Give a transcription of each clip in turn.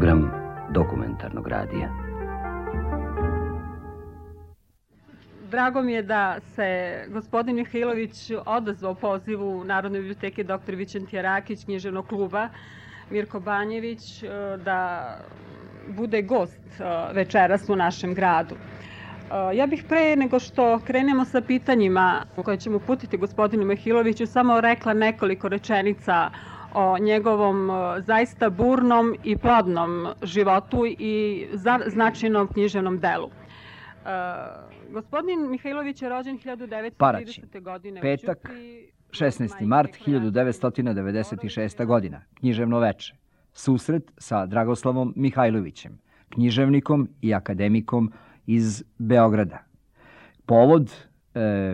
program dokumentarnog radija. Drago mi je da se gospodin Mihajlović odazvao pozivu Narodne biblioteke dr. Vičentija Rakić, književnog kluba Mirko Banjević, da bude gost večeras u našem gradu. Ja bih pre nego što krenemo sa pitanjima koje ćemo uputiti gospodinu Mihajloviću samo rekla nekoliko rečenica o njegovom zaista burnom i plodnom životu i značajnom književnom delu. Gospodin Mihajlović je rođen 1930. godine. Petak, 16. mart 1996. godina. Književno veče. Susret sa Dragoslavom Mihajlovićem, književnikom i akademikom iz Beograda. Povod,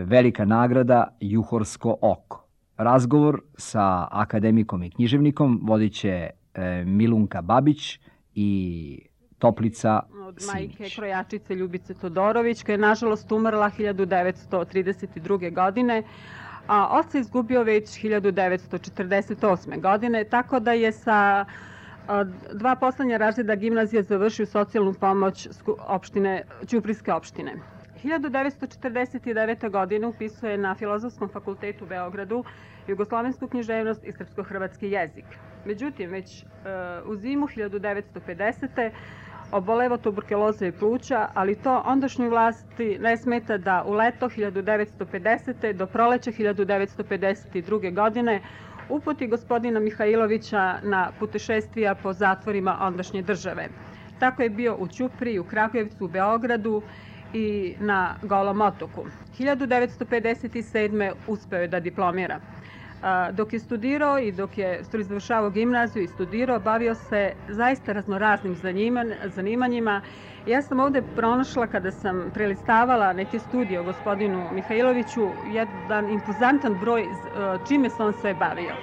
velika nagrada Juhorsko oko. Razgovor sa akademikom i književnikom vodit će Milunka Babić i Toplica Simić. Majke krojačice Ljubice Todorović, koja je nažalost umrla 1932. godine, a oca izgubio već 1948. godine, tako da je sa dva poslednja razreda gimnazije završio socijalnu pomoć opštine, Ćuprijske opštine. 1949. godine upisuje na Filozofskom fakultetu u Beogradu jugoslovensku književnost i srpsko-hrvatski jezik. Međutim, već u zimu 1950. oboleva tuberkuloze i pluća, ali to ondašnjoj vlasti ne smeta da u leto 1950. do proleća 1952. godine uputi gospodina Mihajlovića na putešestvija po zatvorima ondašnje države. Tako je bio u Ćupriji, u Kragujevcu, u Beogradu i na Golom otoku. 1957. uspeo je da diplomira. Dok je studirao i dok je završavao gimnaziju i studirao, bavio se zaista raznoraznim zanimanjima. Ja sam ovde pronašla, kada sam prelistavala neke studije o gospodinu Mihajloviću, jedan impozantan broj čime se on sve bavio.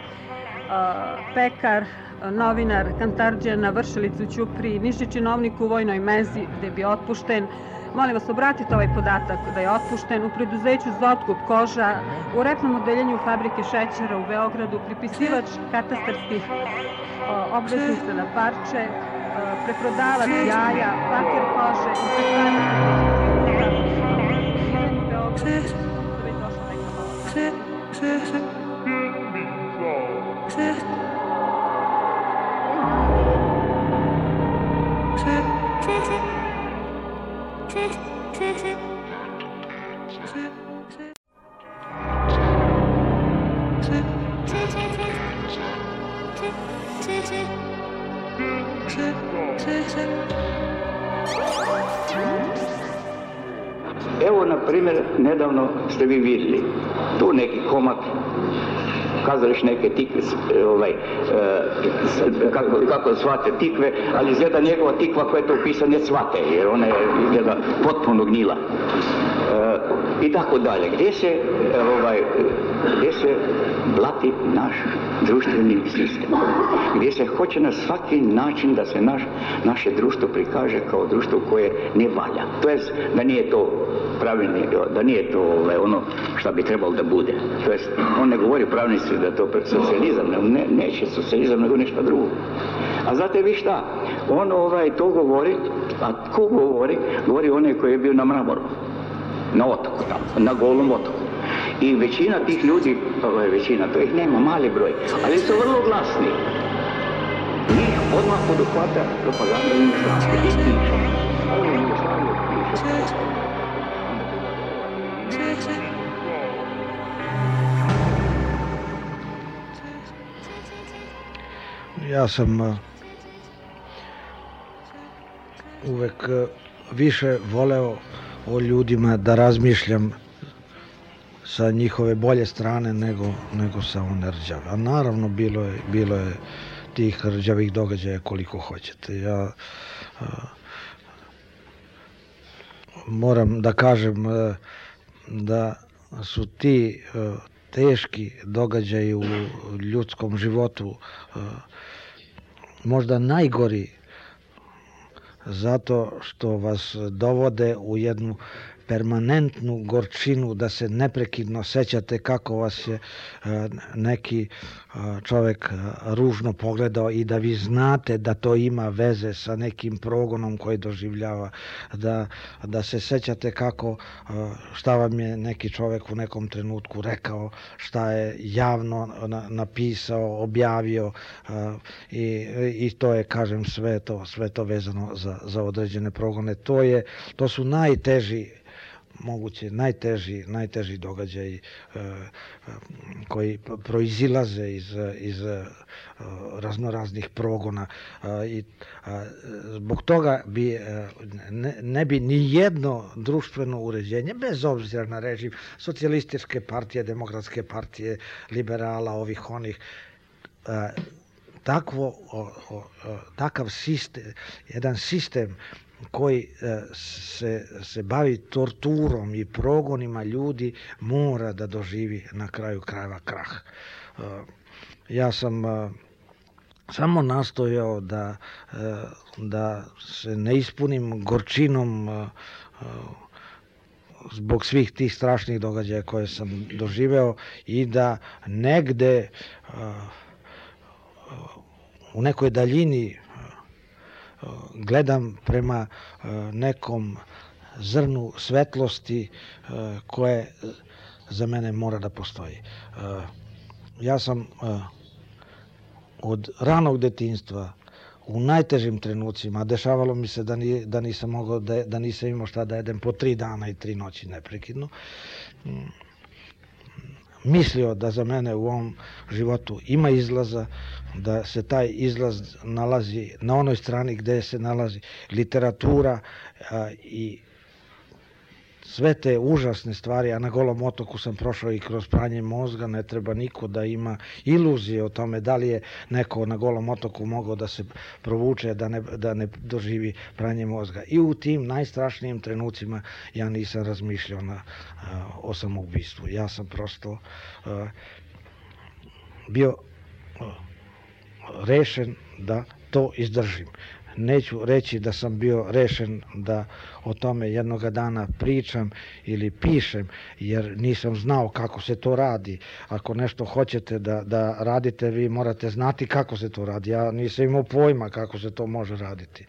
Pekar, novinar, kantarđija na Vršilicu u Ćupriji, nižni činovnik u vojnoj menzi gde je bio otpušten. Molim vas, obratite ovaj podatak da je otpušten u preduzeću za otkup koža, u repnom odeljenju fabrike šećera u Beogradu, pripisivač katastarskih obveznica na parče, preprodavac jaja, paker kože i Evo, na primjer, nedavno ste vi vidjeli tu neki komad, kazališ neke tikve, kako shvate tikve, ali izgleda njegova tikva koja je to upisana ne shvate, jer ona je izgleda potpuno gnila. I tako dalje. Gdje se blati naš društveni sistem, gdje se hoće na svaki način da se naše društvo prikaže kao društvo koje ne valja. To jest da nije to pravilno, da nije to ono što bi trebalo da bude. To jest, on ne govori pravnici da je to socijalizam, neće socijalizam, nego nešto drugo. A znate vi šta? On to govori, a ko govori? Govori onaj koji je bio na Mramoru, na otoku tamo, na Golom otoku. I većina tih ljudi, to ih nema, mali broj, ali su vrlo glasni. Njih odmah poduhvata propaganda Jugoslavije i piše. Ovo Jugoslavije piše. Ja sam uvek više voleo o ljudima da razmišljam sa njihove bolje strane nego sa one rđave. A naravno bilo je tih rđavih događaja koliko hoćete. Ja moram da kažem da su ti teški događaji u ljudskom životu možda najgori zato što vas dovode u jednu permanentnu gorčinu, da se neprekidno sećate kako vas je neki čovek ružno pogledao i da vi znate da to ima veze sa nekim progonom koji doživljava, da se sećate kako, šta vam je neki čovek u nekom trenutku rekao, šta je javno napisao, objavio i to je, kažem, sve to vezano za određene progone. To su najteži, moguće najteži događaji koji proizilaze iz raznoraznih progona i zbog toga ne bi ni jedno društveno uređenje, bez obzira na režim, socijalističke partije, demokratske partije, liberala, ovih onih, takav sistem, jedan sistem koji se bavi torturom i progonima ljudi mora da doživi na kraju krajeva krah. Ja sam samo nastojao da se ne ispunim gorčinom zbog svih tih strašnih događaja koje sam doživeo i da negde u nekoj daljini gledam prema nekom zrnu svetlosti koje za mene mora da postoji. Ja sam od ranog detinjstva u najtežim trenucima, dešavalo mi se da nisam imao šta da jedem po 3 dana i 3 noći neprekidno, mislio da za mene u ovom životu ima izlaza, da se taj izlaz nalazi na onoj strani gde se nalazi literatura i sve te užasne stvari, a na Golom otoku sam prošao i kroz pranje mozga, ne treba niko da ima iluzije o tome da li je neko na Golom otoku mogao da se provuče, da ne doživi pranje mozga. I u tim najstrašnijim trenucima ja nisam razmišljao o samoubistvu. Ja sam prosto bio rešen da to izdržim. Neću reći da sam bio rešen da o tome jednoga dana pričam ili pišem, jer nisam znao kako se to radi. Ako nešto hoćete da radite, vi morate znati kako se to radi. Ja nisam imao pojma kako se to može raditi.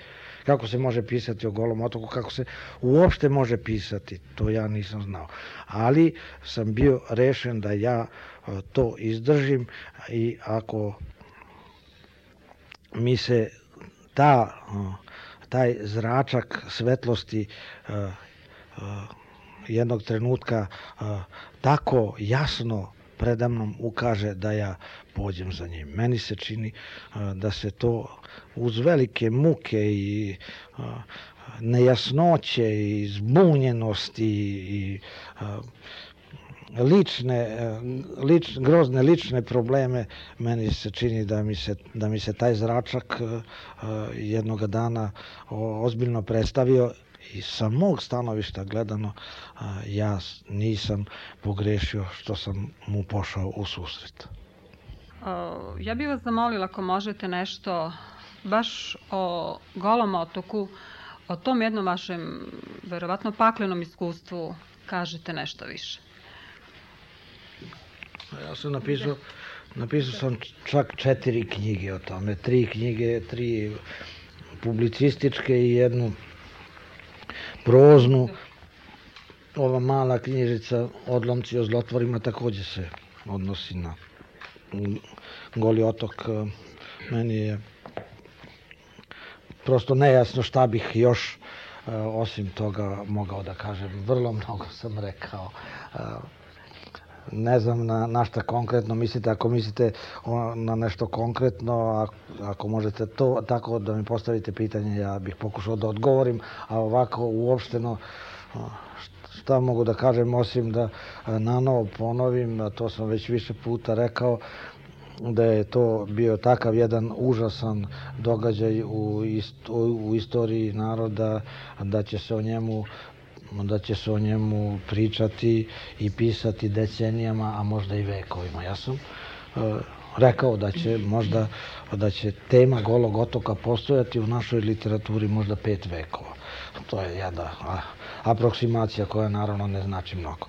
Kako se može pisati o Golom otoku, kako se uopšte može pisati, to ja nisam znao. Ali sam bio rešen da ja to izdržim i ako mi se taj zračak svetlosti jednog trenutka tako jasno predamnom ukaže da ja pođem za njim. Meni se čini da se to uz velike muke i nejasnoće i zbunjenosti i grozne lične probleme, meni se čini da mi se taj zračak jednoga dana ozbiljno predstavio i sa mog stanovišta gledano ja nisam pogrešio što sam mu pošao u susret. Ja bih vas zamolila ako možete nešto baš o Golom otoku, o tom jednom vašem verovatno paklenom iskustvu kažete nešto više. Ja sam napisao sam čak 4 knjige o tome, 3 knjige, 3 publicističke i jednu proznu. Ova mala knjižica Odlomci o zlotvorima takođe se odnosi na Goli otok. Meni je prosto nejasno šta bih još osim toga mogao da kažem. Vrlo mnogo sam rekao. Ne znam na šta konkretno mislite. Ako mislite na nešto konkretno, ako možete to tako da mi postavite pitanje, ja bih pokušao da odgovorim, a ovako uopšteno šta mogu da kažem osim da nanovo ponovim, a to sam već više puta rekao, da je to bio takav jedan užasan događaj u istoriji naroda, da će se o njemu pričati i pisati decenijama, a možda i vekovima. Ja sam rekao da će tema Golog otoka postojati u našoj literaturi možda 5 vekova. To je jedna aproksimacija koja naravno ne znači mnogo.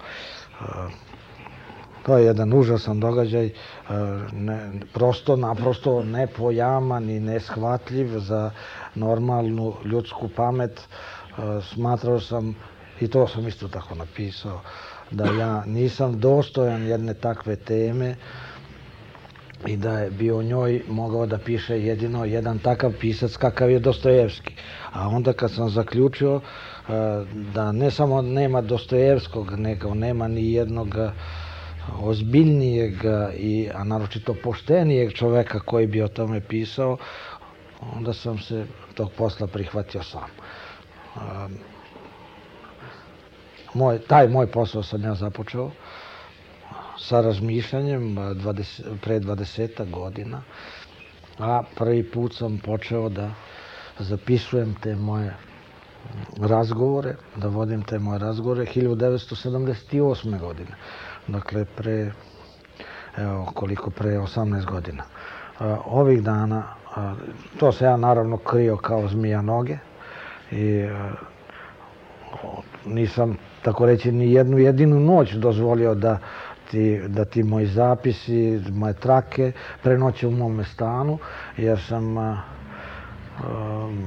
To je jedan užasan događaj, naprosto nepojaman i neshvatljiv za normalnu ljudsku pamet. Smatrao sam, i to sam isto tako napisao, da ja nisam dostojan jedne takve teme i da bi o njoj mogao da piše jedino jedan takav pisac kakav je Dostojevski. A onda kad sam zaključio da ne samo nema Dostojevskog, nego nema ni jednog ozbiljnijeg, a naročito poštenijeg čoveka koji bi o tome pisao, onda sam se tog posla prihvatio sam. Taj moj posao sam ja započeo sa razmišljanjem pre 20 godina, a prvi put sam počeo da zapisujem te moje razgovore, da vodim te moje razgovore 1978. godine. Dakle, pre 18 godina. Ovih dana, to se ja naravno krio kao zmija noge i nisam, tako reći, ni jednu jedinu noć dozvolio da ti moji zapisi, moje trake prenoće u mome stanu, jer sam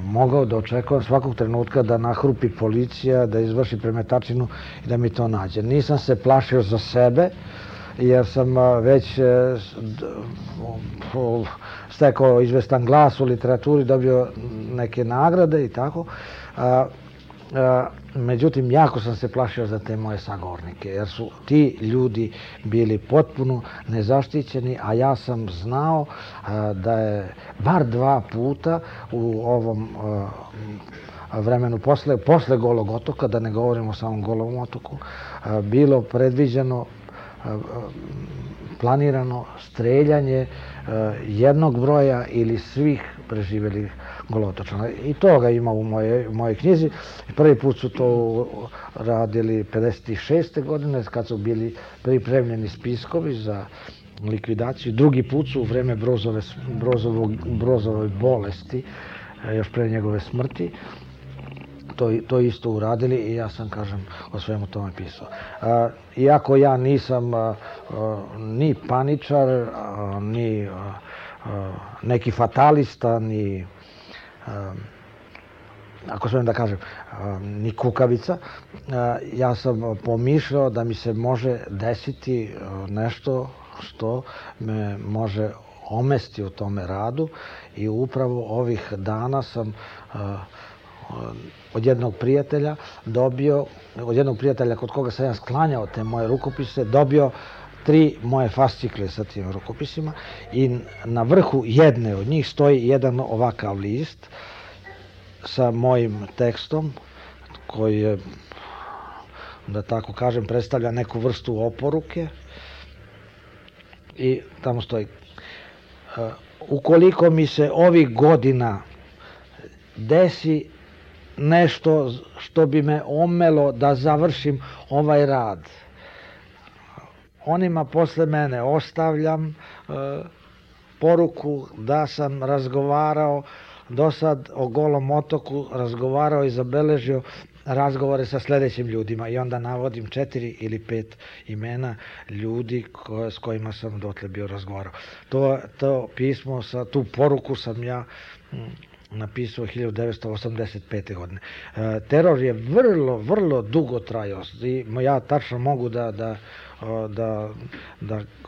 mogao da očekujem svakog trenutka da nahrupi policija, da izvrši premetačinu i da mi to nađe. Nisam se plašio za sebe, jer sam već stekao izvestan glas u literaturi, dobio neke nagrade i tako. Međutim, jako sam se plašio za te moje sagovornike, jer su ti ljudi bili potpuno nezaštićeni, a ja sam znao da je bar 2 puta u ovom vremenu posle Golog otoka, da ne govorimo o samom Golom otoku, bilo predviđeno, planirano streljanje jednog broja ili svih preživjelih Golotočana. I toga ima u mojoj knjizi. Prvi put su to radili 56. godine, kad su bili pripremljeni spiskovi za likvidaciju. Drugi put su u vreme Brozovoj bolesti, još pre njegove smrti, to isto uradili i ja sam, kažem, o svemu tome pisao. Iako ja nisam ni paničar, ni neki fatalista, ni, ako smijem da kažem, ni kukavica, ja sam pomišljao da mi se može desiti nešto što me može omesti u tome radu i upravo ovih dana sam od jednog prijatelja kod koga sam ja sklanjao te moje rukopise, dobio 3 moje fascikle sa tim rukopisima i na vrhu jedne od njih stoji jedan ovakav list sa mojim tekstom koji je, da tako kažem, predstavlja neku vrstu oporuke i tamo stoji: ukoliko mi se ovih godina desi nešto što bi me omelo da završim ovaj rad, onima posle mene ostavljam poruku da sam razgovarao do sad o Golom otoku, razgovarao i zabeležio razgovore sa sledećim ljudima i onda navodim 4 ili 5 imena ljudi s kojima sam dotle bio razgovarao. To pismo, tu poruku sam ja napisao 1985. godine. Teror je vrlo dugo trajao i ja tačno mogu da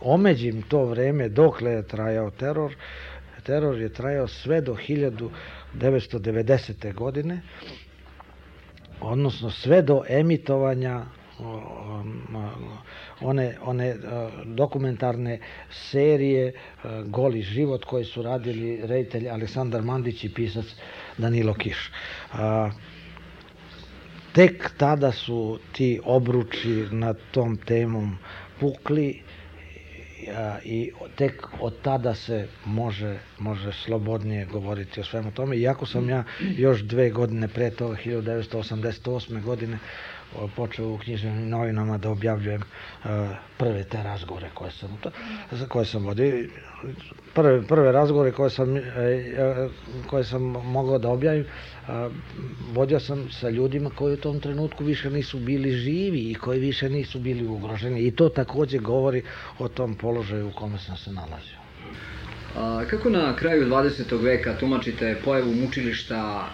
omeđim to vreme dokle je trajao teror. Teror je trajao sve do 1990. godine, odnosno sve do emitovanja one dokumentarne serije Goli život koji su radili reditelj Aleksandar Mandić i pisac Danilo Kiš. Tek tada su ti obruči nad tom temom pukli i tek od tada se može slobodnije govoriti o svemu tome. Iako sam ja još 2 godine pre toga, 1988. godine, počeo u književnim novinama da objavljujem prve te razgovore koje sam vodio. Prve razgovore koje sam mogao da objavim, vodio sam sa ljudima koji u tom trenutku više nisu bili živi i koji više nisu bili ugroženi. I to takođe govori o tom položaju u kome sam se nalazio. Kako na kraju 20. veka tumačite pojavu mučilišta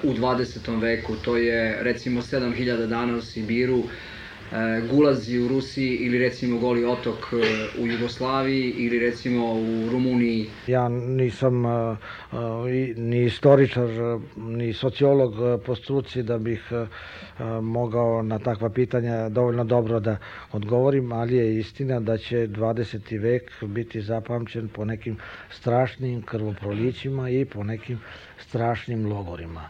u 20. veku? To je recimo 7000 dana u Sibiru, gulazi u Rusiji ili recimo Goli otok u Jugoslaviji ili recimo u Rumuniji? Ja nisam ni istoričar, ni sociolog po struci da bih mogao na takva pitanja dovoljno dobro da odgovorim, ali je istina da će 20. vek biti zapamćen po nekim strašnim krvoprolićima i po nekim strašnim logorima.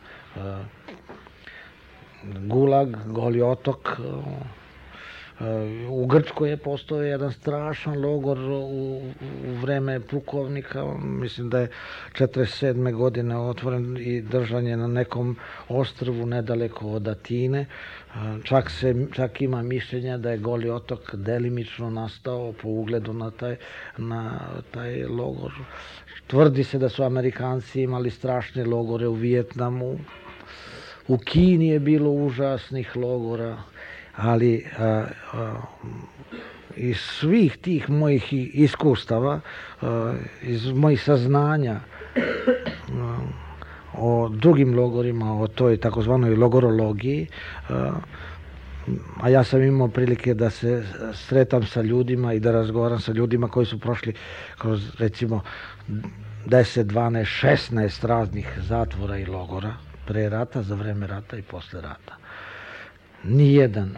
Gulag, Goli otok, u Grčkoj je postojao jedan strašan logor u vreme pukovnika, mislim da je 47. godine otvoren i držan je na nekom ostrvu nedaleko od Atine. Čak ima mišljenja da je Goli otok delimično nastao po ugledu na taj logor. Tvrdi se da su Amerikanci imali strašne logore u Vijetnamu, u Kini je bilo užasnih logora, ali iz svih tih mojih iskustava, iz mojih saznanja o drugim logorima, o toj takozvanoj logorologiji, a ja sam imao prilike da se sretam sa ljudima i da razgovaram sa ljudima koji su prošli kroz recimo 10, 12, 16 raznih zatvora i logora, pre rata, za vreme rata i posle rata. Nijedan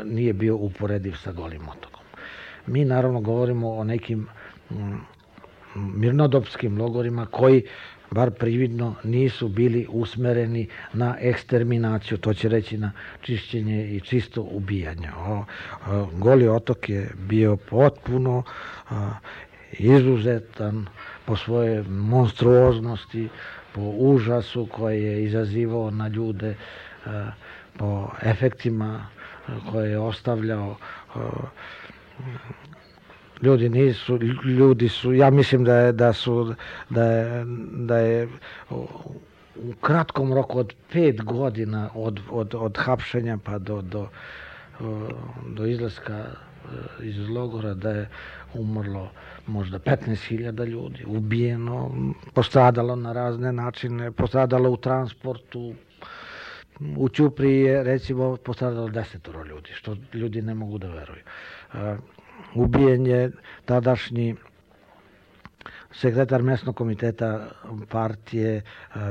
nije bio uporediv sa Golim otokom. Mi naravno govorimo o nekim mirnodopskim logorima koji, bar prividno, nisu bili usmereni na eksterminaciju, to će reći na čišćenje i čisto ubijanje. Goli otok je bio potpuno izuzetan po svoje monstruoznosti, po užasu koje je izazivao na ljude, po efektima koje je ostavljao. Ljudi su, ja mislim da je u kratkom roku od 5 godina od hapšenja pa do izlaska iz logora da je umrlo možda 15.000 ljudi, ubijeno, postradalo na razne načine, postradalo u transportu. U Ćupriji je recimo postradalo 10 ljudi, što ljudi ne mogu da veruju. Ubijen je tadašnji sekretar mesnog komiteta partije,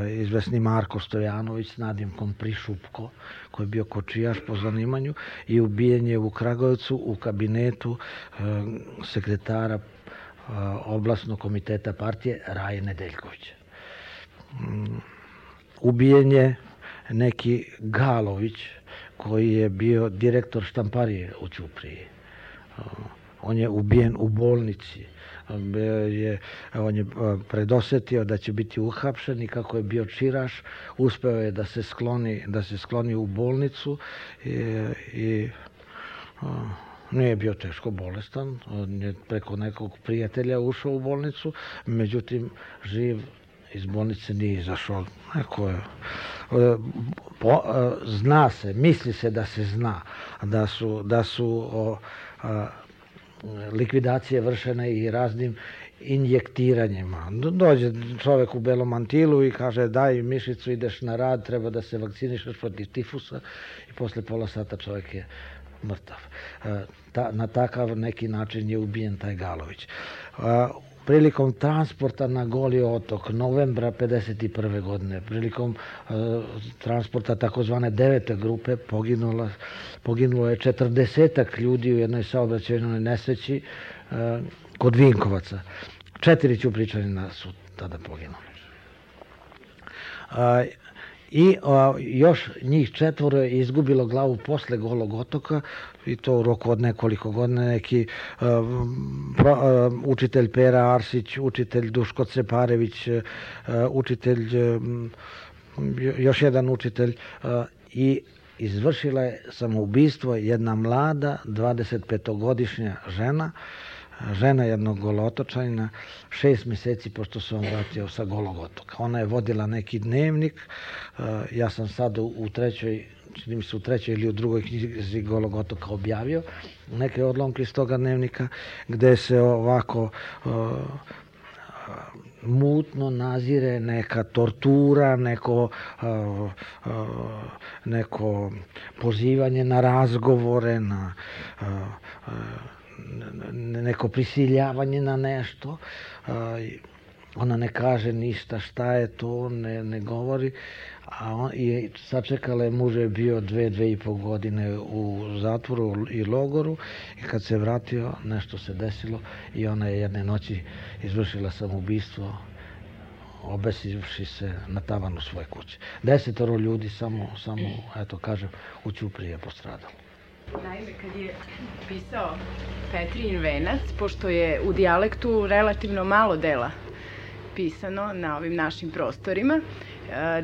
izvesni Marko Stojanović s nadimkom Prišupko, koji je bio kočijaš po zanimanju, i ubijen je u Kragujevcu u kabinetu sekretara oblasnog komiteta partije Raje Nedeljkovića. Ubijen je neki Galović koji je bio direktor štamparije u Ćupriji. On je ubijen u bolnici. On je predosetio da će biti uhapšen i kako je bio čiraš, uspeo je da se skloni u bolnicu i nije bio teško bolestan. On je preko nekog prijatelja ušao u bolnicu, međutim živ iz bolnice nije izašao. Zna se, misli se da se zna da su likvidacije vršene i raznim injektiranjima. Dođe čovek u belom mantilu i kaže daj mišicu, ideš na rad, treba da se vakcinišeš protiv tifusa i posle pola sata čovek je mrtav. Na takav neki način je ubijen taj Galović. Prilikom transporta na Goli otok novembra 1951. godine, prilikom transporta takozvane 9. grupe poginulo je 40 ljudi u jednoj saobraćajnoj nesreći kod Vinkovaca. 4 Ćupričanina su tada poginuli. I još njih 4 je izgubilo glavu posle Golog otoka i to u roku od nekoliko godina. Neki učitelj Pera Arsić, učitelj Duško Ceparević, učitelj, još jedan učitelj i izvršila je samoubistvo jedna mlada 25-godišnja žena, žena jednog Golotočanina, 6 meseci pošto se on vratio sa Golog otoka. Ona je vodila neki dnevnik, ja sam sad u trećoj, čini mi se u trećoj ili u drugoj knjizi Golog otoka objavio neke odlomke iz toga dnevnika, gde se ovako mutno nazire neka tortura, neko pozivanje na razgovore, na neko prisiljavanje na nešto. Ona ne kaže ništa šta je to, ne govori. I sačekala je, muž je bio 2,5 godine u zatvoru i logoru i kad se vratio nešto se desilo i ona je jedne noći izvršila samoubistvo obesivši se na tavanu svoje kuće. 10 ljudi samo, eto kažem, u Ćupriji je postradalo. Naime, kad je pisao Petrijin venac, pošto je u dijalektu relativno malo dela pisano na ovim našim prostorima,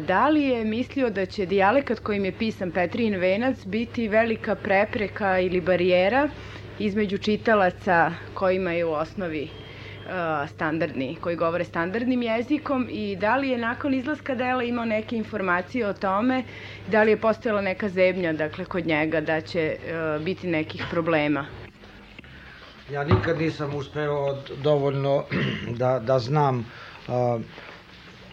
da li je mislio da će dijalekat kojim je pisan Petrijin venac biti velika prepreka ili barijera između čitalaca kojima je u osnovi standardni, koji govore standardnim jezikom, i da li je nakon izlaska dela imao neke informacije o tome, da li je postojala neka zebnja, dakle, kod njega da će biti nekih problema? Ja nikad nisam uspeo dovoljno da znam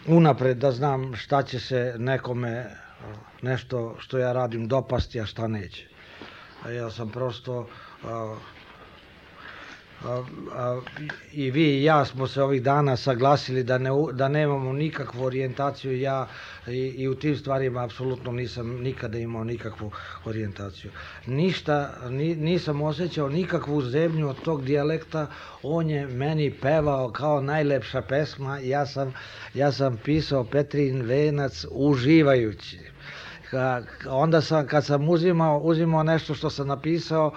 unapred, da znam šta će se nekome nešto što ja radim dopasti, a šta neće. Ja sam prosto i vi i ja smo se ovih dana saglasili da nemamo nikakvu orijentaciju. Ja i u tim stvarima apsolutno nisam nikada imao nikakvu orijentaciju. Ništa, nisam osjećao nikakvu zebnju od tog dijalekta. On je meni pevao kao najlepša pesma. Ja sam pisao Petrijin venac uživajući. Onda kad sam uzimao nešto što sam napisao,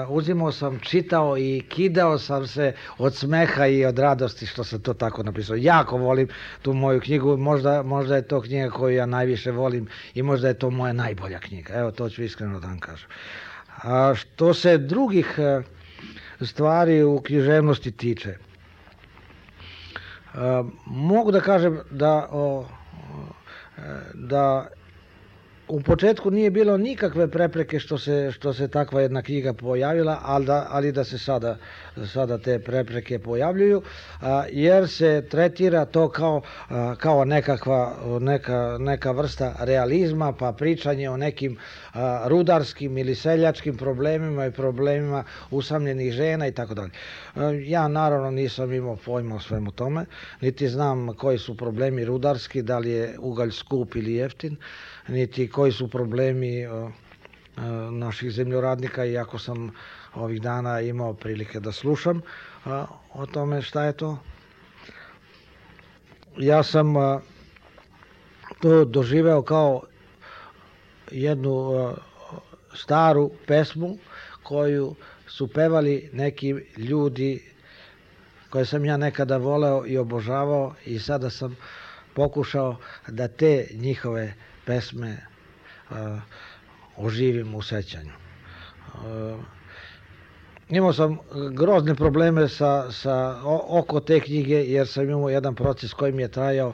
uzimao sam, čitao i kidao sam se od smeha i od radosti što sam to tako napisao. Jako volim tu moju knjigu, možda je to knjiga koju ja najviše volim i možda je to moja najbolja knjiga. Evo, to ću iskreno da vam kažem. A što se drugih stvari u književnosti tiče, mogu da kažem da u početku nije bilo nikakve prepreke što se takva jedna knjiga pojavila, ali da se sada te prepreke pojavljuju, jer se tretira to kao neka vrsta realizma, pa pričanje o nekim rudarskim ili seljačkim problemima i problemima usamljenih žena i tako dalje. Ja naravno nisam imao pojma o svemu tome, niti znam koji su problemi rudarski, da li je ugalj skup ili jeftin, niti koji su problemi naših zemljoradnika, iako sam ovih dana imao prilike da slušam o tome šta je to. Ja sam to doživeo kao jednu staru pesmu koju su pevali neki ljudi koje sam ja nekada voleo i obožavao, i sada sam pokušao da te njihove pesme oživim u sećanju. Imao sam grozne probleme oko te knjige, jer sam imao jedan proces koji mi je trajao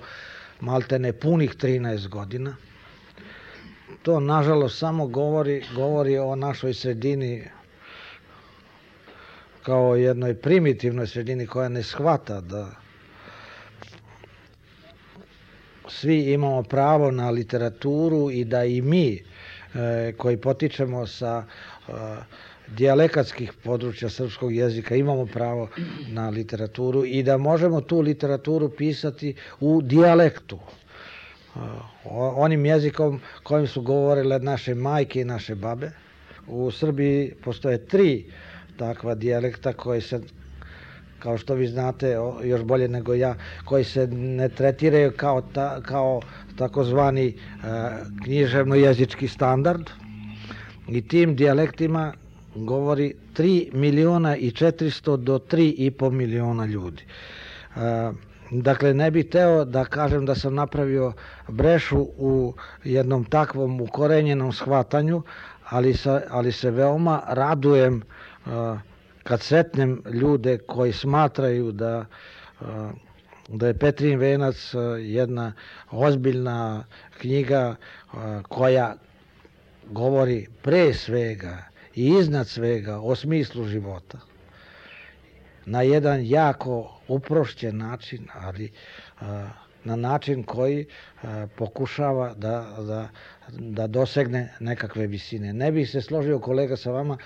maltene punih 13 godina. To, nažalost, samo govori o našoj sredini kao jednoj primitivnoj sredini koja ne shvata da svi imamo pravo na literaturu i da i mi koji potičemo sa dijalekatskih područja srpskog jezika imamo pravo na literaturu i da možemo tu literaturu pisati u dijalektu, onim jezikom kojim su govorile naše majke i naše babe. U Srbiji postoje 3 takva dijalekta koji se, kao što vi znate još bolje nego ja, koji se ne tretiraju kao takozvani književno-jezički standard, i tim dijalektima govori 3.400.000 do 3,5 miliona ljudi. Dakle, ne bih teo da kažem da sam napravio brešu u jednom takvom ukorenjenom shvatanju, ali se veoma radujem kad sretnem ljude koji smatraju da je Petrin venac jedna ozbiljna knjiga koja govori pre svega i iznad svega o smislu života. Na jedan jako uprošćen način, ali na način koji pokušava da dosegne nekakve visine. Ne bih se složio, kolega, sa vama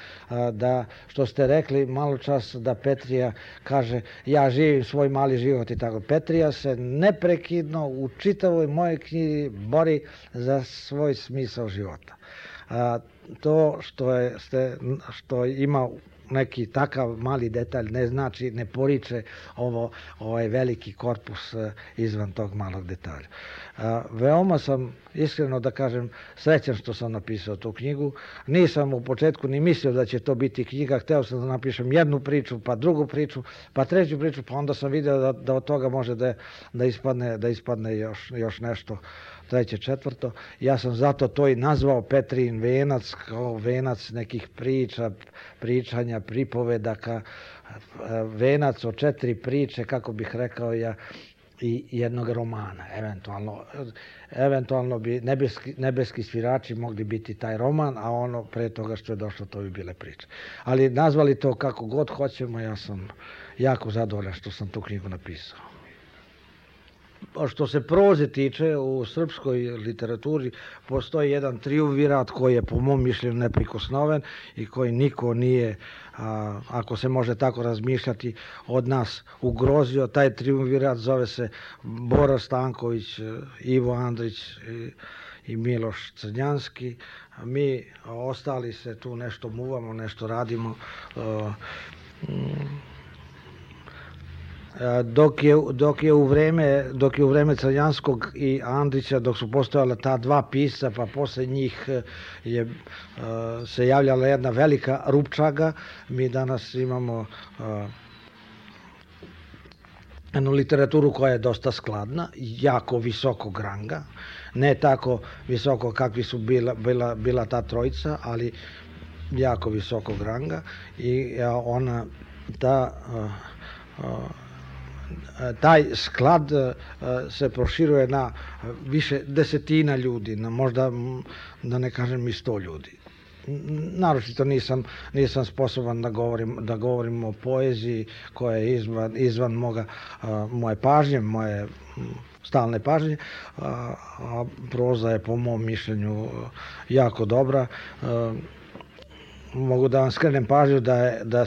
da što ste rekli malo čas da Petrija kaže ja živim svoj mali život i tako. Petrija se neprekidno u čitavoj mojoj knjizi bori za svoj smisao života. To što ima neki takav mali detalj ne znači, ne poriče ovaj veliki korpus izvan tog malog detalja. Veoma sam, iskreno da kažem, srećan što sam napisao tu knjigu. Nisam u početku ni mislio da će to biti knjiga, hteo sam da napišem jednu priču, pa drugu priču, pa treću priču, pa onda sam video da od toga može da ispadne još nešto treće, četvrto. Ja sam zato to i nazvao Petrin venac, kao venac nekih priča, pričanja, pripovedaka, venac od 4 priče, kako bih rekao ja, i jednog romana, eventualno bi Nebeski svirači mogli biti taj roman, a ono pre toga što je došlo to bi bile priče. Ali nazvali to kako god hoćemo, ja sam jako zadovoljan što sam tu knjigu napisao. Što se proze tiče, u srpskoj literaturi postoji jedan triumvirat koji je po mom mišljenju neprikosnoven i koji niko nije, ako se može tako razmišljati, od nas ugrozio. Taj triumvirat zove se Bora Stanković, Ivo Andrić i Miloš Crnjanski. Mi ostali se tu nešto muvamo, nešto radimo. Dok je u vreme Crnjanskog i Andrića, dok su postojala ta dva pisca, pa posle njih se javljala jedna velika rupčaga, mi danas imamo jednu literaturu koja je dosta skladna, jako visokog ranga, ne tako visoko kakvi su bila ta trojica, ali jako visokog ranga, i taj sklad se proširuje na više desetina ljudi, na možda, da ne kažem, i 100 ljudi. Naročito nisam sposoban da govorim o poeziji koja je izvan moje pažnje, moje stalne pažnje, a proza je po mom mišljenju jako dobra. Mogu da vam skrenem pažnju da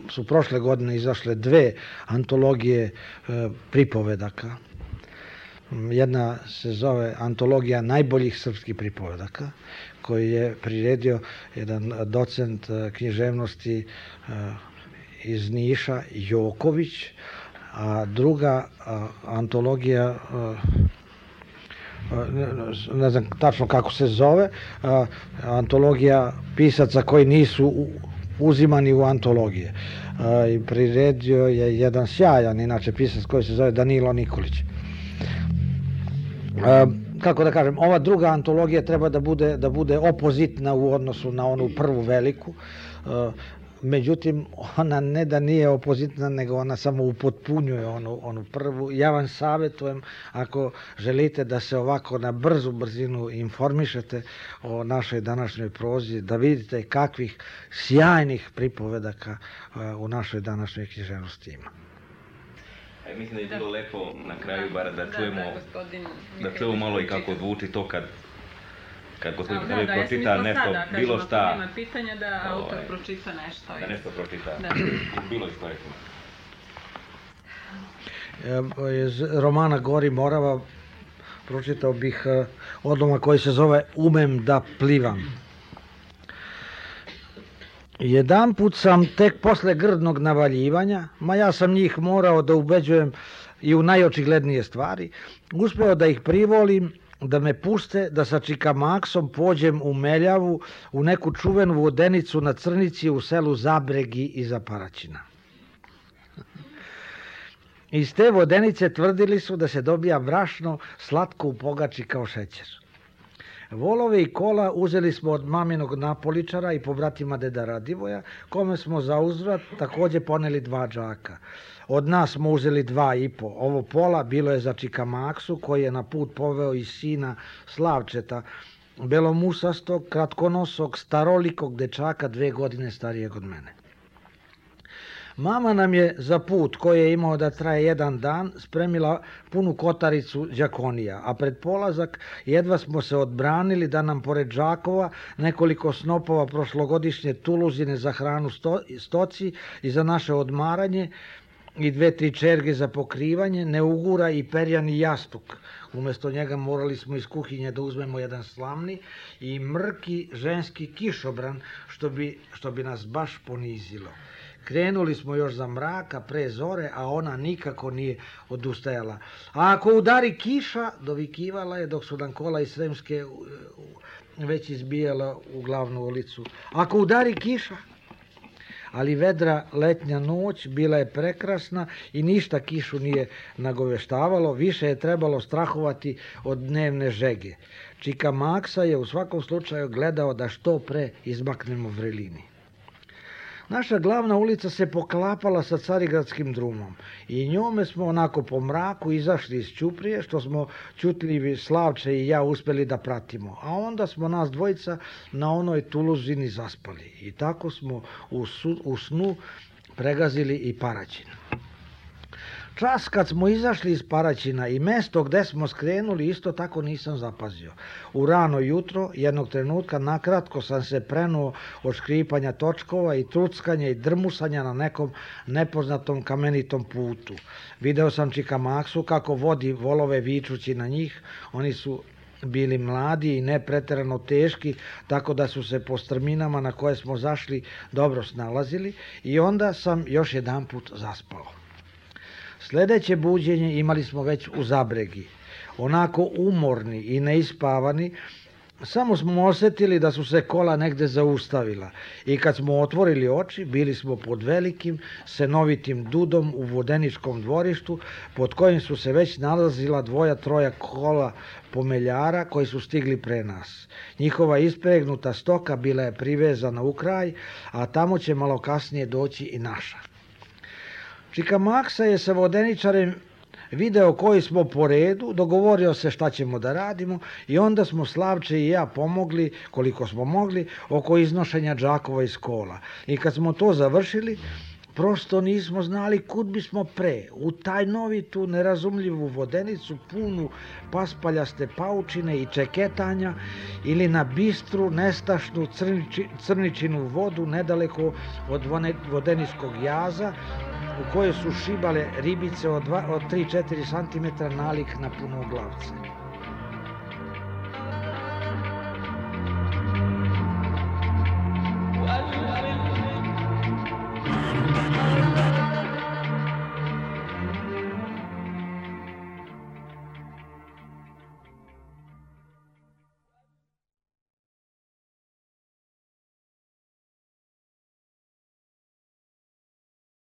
su prošle godine izašle 2 antologije pripovedaka. Jedna se zove Antologija najboljih srpskih pripovedaka, koji je priredio jedan docent književnosti iz Niša, Joković, a druga antologija, ne znam tačno kako se zove, antologija pisaca koji nisu uzimani u antologije. I priredio je jedan sjajan, inače, pisac koji se zove Danilo Nikolić. Kako da kažem, ova druga antologija treba da bude opozitna u odnosu na onu prvu veliku. Međutim, ona ne da nije opozitna, nego ona samo upotpunjuje onu prvu. Ja vam savjetujem, ako želite da se ovako na brzu brzinu informišete o našoj današnjoj prozi, da vidite kakvih sjajnih pripovedaka u našoj današnjoj književnosti ima. Mislim da je bilo lepo na kraju bar da čujemo malo i kako zvuči to kad gospodin Petrović pročita nešto, bilo šta. Ako nema pitanja, da autor pročita nešto. Da nešto pročita, bilo iz koje Iz romana Gori Morava pročitao bih odlomak koji se zove Umem da plivam. Jedanput sam tek posle grdnog navaljivanja, ja sam njih morao da ubeđujem i u najočiglednije stvari, uspeo da ih privolim da me puste da sa čikamaksom pođem u Meljavu u neku čuvenu vodenicu na Crnici u selu Zabregi iza Paraćina. Iz te vodenice tvrdili su da se dobija brašno slatko u pogači kao šećer. Volove i kola uzeli smo od maminog napoličara i pobratima deda Radivoja, kome smo za uzvrat takođe poneli 2 džaka. Od nas smo uzeli 2,5. Ovo pola bilo je za Čika Maksu, koji je na put poveo i sina Slavčeta, belomusastog, kratkonosog, starolikog dečaka 2 godine starijeg od mene. Mama nam je za put, koji je imao da traje 1 dan, spremila punu kotaricu đakonija, a pred polazak jedva smo se odbranili da nam pored džakova nekoliko snopova prošlogodišnje tuluzine za hranu stoci i za naše odmaranje i 2-3 čerge za pokrivanje ne ugura i perjani jastuk. Umesto njega morali smo iz kuhinje da uzmemo jedan slamni i mrki ženski kišobran, što bi nas baš ponizilo. Krenuli smo još za mraka, pre zore, a ona nikako nije odustajala. A ako udari kiša, dovikivala je dok su nam kola iz Sremske već izbijala u glavnu ulicu. Ako udari kiša, ali vedra letnja noć bila je prekrasna i ništa kišu nije nagoveštavalo, više je trebalo strahovati od dnevne žege. Čika Maksa je u svakom slučaju gledao da što pre izmaknemo vrelini. Naša glavna ulica se poklapala sa Carigradskim drumom i njome smo onako po mraku izašli iz Ćuprije, što smo ćutljivi Slavče i ja uspeli da pratimo, a onda smo nas dvojica na onoj tuluzini zaspali i tako smo u snu pregazili i Paraćin. Čas kad smo izašli iz Paraćina i mesto gde smo skrenuli isto tako nisam zapazio. U rano jutro, jednog trenutka, nakratko sam se prenuo od škripanja točkova i truckanja i drmusanja na nekom nepoznatom kamenitom putu. Video sam Čika Maksu kako vodi volove vičući na njih. Oni su bili mladi i ne preterano teški, tako da su se po strminama na koje smo zašli dobro snalazili i onda sam još jedanput zaspao. Sledeće buđenje imali smo već u Zabregi. Onako umorni i neispavani, samo smo osetili da su se kola negde zaustavila i kad smo otvorili oči, bili smo pod velikim, senovitim dudom u vodeničkom dvorištu, pod kojim su se već nalazila 2-3 kola pomeljara koji su stigli pre nas. Njihova ispregnuta stoka bila je privezana u kraj, a tamo će malo kasnije doći i naša. Čika Maksa je sa vodeničarem video koji smo po redu, dogovorio se šta ćemo da radimo i onda smo Slavče i ja pomogli koliko smo mogli oko iznošenja džakova iz kola. I kad smo to završili, prosto nismo znali kud bismo pre, u taj novitu nerazumljivu vodenicu punu paspaljaste paučine i čeketanja ili na bistru, nestašnu crničinu vodu nedaleko od vodeničkog jaza u kojoj su šibale ribice od 3-4 cm nalik na punoglavce.